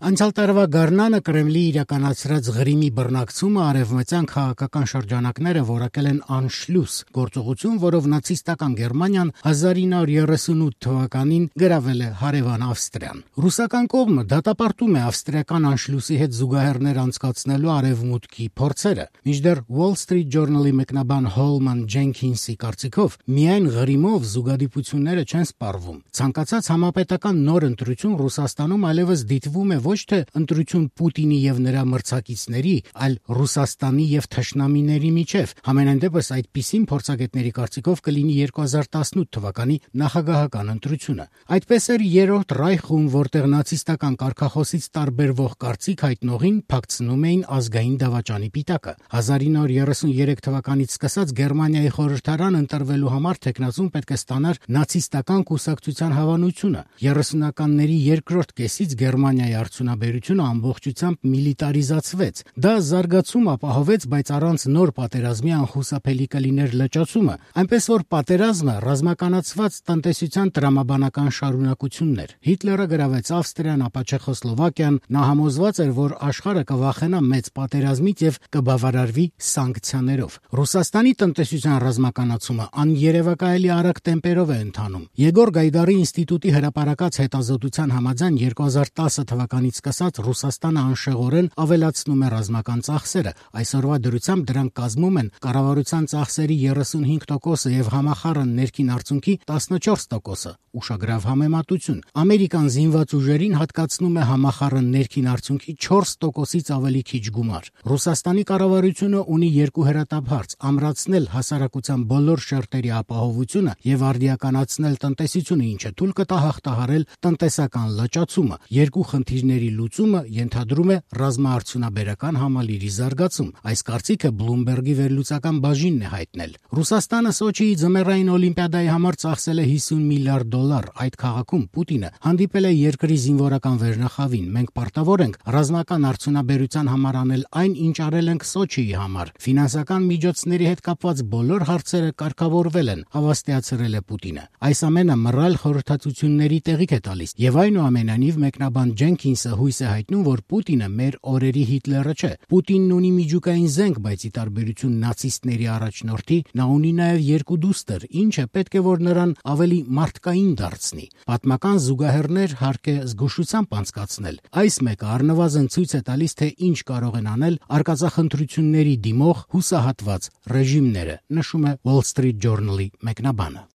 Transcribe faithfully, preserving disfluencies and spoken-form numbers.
Անցյալ տարվա գարնանը Կրեմլի իրականացրած Ղրիմի բռնակցումը արևմտյան քաղաքական շրջանակները որակել են անշլուս գործողություն, որով նացիստական Գերմանիան հազար ինը հարյուր երեսունութ թվականին գրավել է հարևան Ավստրիան։ Ռուսական կողմը դատապարտում է ավստրիական անշլուսի հետ զուգահեռներ անցկացնելու արևմուտքի փորձերը, մինչդեռ Wall Street Journal-ի մեկնաբան Հոլման Ջենքինսի կարծիքով միայն Ղրիմով զուգադիպությունները չեն սպառվում։ Ցանկացած համապետական նոր ընտրություն Ռուսաստանում այլևս դիտվում է ոչ թե ընտրություն Պուտինի եւ նրա մրցակիցների, այլ Ռուսաստանի եւ թշնամիների միջև։ Համենայն դեպս այդպիսին փորձագետների կարծիքով կլինի երկու հազար տասնութ թվականի նախագահական ընտրությունը։ Այդպես էր երրորդ Ռայխում, որտեղ նացիստական կարգախոսից տարբերվող կարծիք հայտնողին փակցնում էին ազգային դավաճանի պիտակը։ հազար ինը հարյուր երեսուներեք թվականից սկսած Գերմանիայի խորհրդարան ընտրվելու համար թեկնածուն պետք է ստանար նացիստական կուսակցության հավանությունը։ երեսունականների երկրորդ կեսից Գերմանիայի արդյունաբերությունը ամբողջությամբ միլիտարիզացվեց։ Դա զարգացում ապահովեց, բայց առանց նոր պատերազմի անխուսափելի կլիներ լճացումը, այնպես որ պատերազմը ռազմականացված տնտեսության տրամաբանական շարունակությունն էր։ Հիտլերը գրավեց Ավստրիան, ապա Չեխոսլովակիան, նա համոզված էր, որ աշխարհը կվախենա մեծ պատերազմից եւ կբավարարվի սանկցիաներով։ Ռուսաստանի տնտեսության ռազմականացումը աներևակայելի արագ տեմպերով է ընթանում։ Եգոր Գայդարի ինստիտուտի հրապարակած հետազոտության համաձայն երկու հազար տասը թվականից սկսած Ռուսաստանը անշեղորեն ավելացնում է ռազմական ծախսերը։ Այսօրվա դրությամբ դրանք կազմում են կառավարության ծախսերի երեսունհինգ տոկոսը եւ համախառն ներքին արդյունքի տասնչորս տոկոսը։ Ուշագրավ համեմատություն։ Ամերիկան զինված ուժերին հատկացնում է համախառն ներքին արդյունքի չորս տոկոսից ավելի քիչ գումար։ Ռուսաստանի կառավարությունը ունի երկու հրատապ հարց՝ ամրացնել հասարակության բոլոր շերտերի ապահովությունը եւ արդիականացնել տնտեսությունը, ինչը թույլ կտա հաղթահարել տնտեսական լճացումը։ Երկու խնդիրների լուծումը ենթադրում է ռազմաարդյունաբերական համալիրի զարգացում։ Այս կարծիքը Բլումբերգի վերլուծական բաժինն է հայտնել։ Ռուսաստանը Սոչիի ձմեռային օլիմպիադայի համար ծախսել է հիսուն միլիարդ դոլար։ Այդ քաղաքում Պուտինը հանդիպել է երկրի զինվորական վերնախավին։ Մենք պարտավոր ենք ռազմական արդյունաբերության համար անել այն, ինչ արել ենք Սոչիի համար։ Ֆինանսական միջոցների հետ կապված բոլոր հարցերը կարգավորվել են, հավաստիացրել է Պուտինը։ Այս ամենը մռայլ խորհրդատվությունների տեղիք է տալիս եւ այնուամենայնիվ մեկնաբան Ջենքինսը հույս է հայտնում, որ Պուտինը մեր օրերի Հիտլերը չէ։ Պուտինն ունի միջուկային զենք, բայց ի տարբերություն նացիստների առաջնորդի, նա ունի նաեւ երկու դուստր, ինչը պետք է որ նրան ավելի մարդկային դարձնի։ Պատմական զուգահեռներ հարկ է զգուշությամբ անցկացնել։ Այս մեկը առնվազն ցույց է տալիս, թե ինչ կարող են անել արկածախնդրությունների դիմող հուսահատված ռեժիմները, նշում է Wall Street Journal-ի մեկնաբանը։